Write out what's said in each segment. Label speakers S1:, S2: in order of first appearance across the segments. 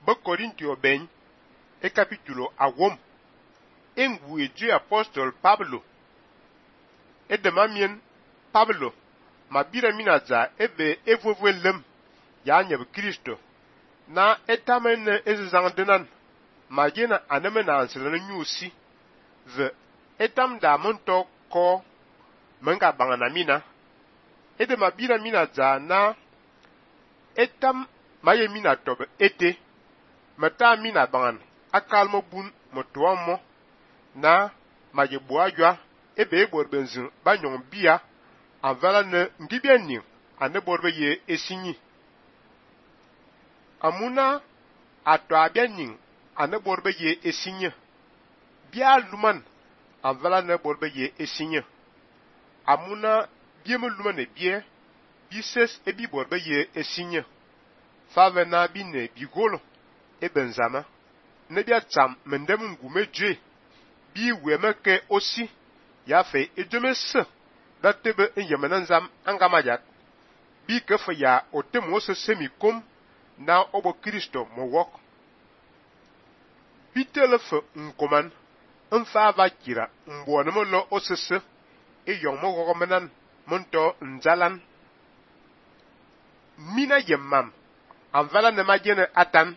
S1: ba Corintio ben e capítulo awom engu edu apóstolo Pablo e de mamien Pablo mabira minaza ebe evovelem ya nyeb Kristo na etamen ezangdenan magena anemena ansela nyusi ve etam da monto ko menga bangana mina ede mabira minaza na etam maye mina tobe ete mata mina bangan akalmo bun motoamo na maye boajwa ebe borbenzin banyon bia avala ne ndibia ni ane borbe ye esinyi amuna ato abia ning ane borbe ye esinye bia luman avala ne borbe ye esinye amuna bieme luman e bie bises ebi borbe ye esinye favena bine bigolo e benzama ne bia tsam mendem ngume dje bi wemeke osi ya fe edemese datebe enyemenan zam angamajak bi kefe ya otemo semikom na obo Kristo mo wok bitelefe nkoman mfa va kira mbonemo lo osese e yongmo gogomenan monto nzalan mina yemmam anvala ne majene atan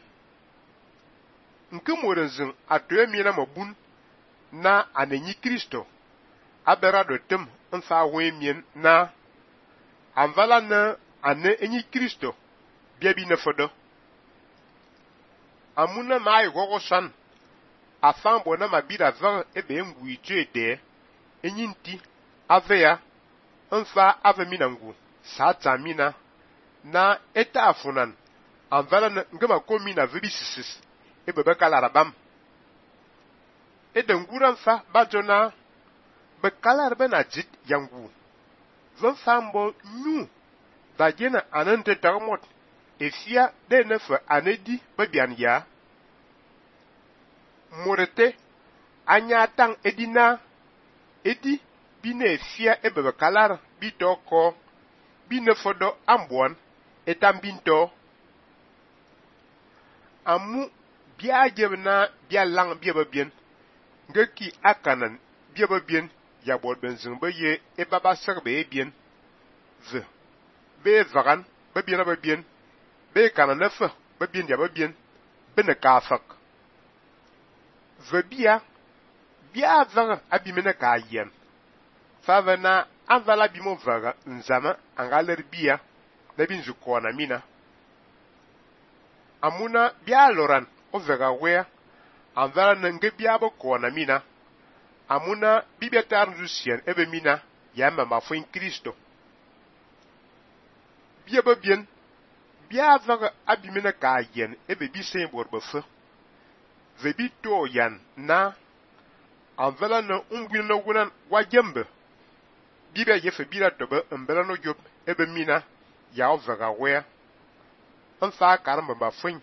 S1: nke morenzin atoye mina mabun na anenyi Kristo abera do tem mfa wemien na anvala ne ane enyi Kristo biabi ne fodo amuna mai gogo san afan bona mabira va ebe ngui jede enyinti aveya mfa ave minangu sata mina na eta afunan anvala ne ngema komi na vibisis ebe bekala rabam ede ngura mfa bajona bekala rebe na jit yangu vamfambo nyu dajena anante dagmot efia de nefe anedi bebian ya morete anya tang edina edi bine efia ebe bekala bitoko binefodo ambuan etambinto amu bia jebna bia lang bia babien ngeki akanan bia babien ya bor benzin baye e baba serbe bien ve be vagan babien be kanan nefe babien ya babien bene kafak ve bia vaga abimene ka yen favena avala bimo vaga nzama angaler bia na binzu kona mina amuna bia loran o vega wea anvala nenge bia bo kona mina amuna bibetar Lucien ebe mina ya mama fo in Kristo bia babien bia vaga abimene ka yen ebe bi sen borbe fe vebi to yan na anvala no umbina wunan wajembe bibia yefe bira tobe mbela no job ebe mina ya o vega wea mfa karamba ba fun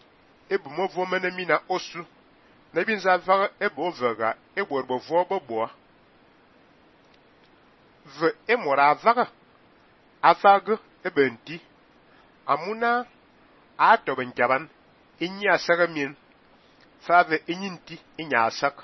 S1: ebu mo vo mena mina osu na bi nza va ebo vega egborbo vo bobo ve emora vaga afag ebenti amuna ato benjaban inya sagamin fave inyinti inya sak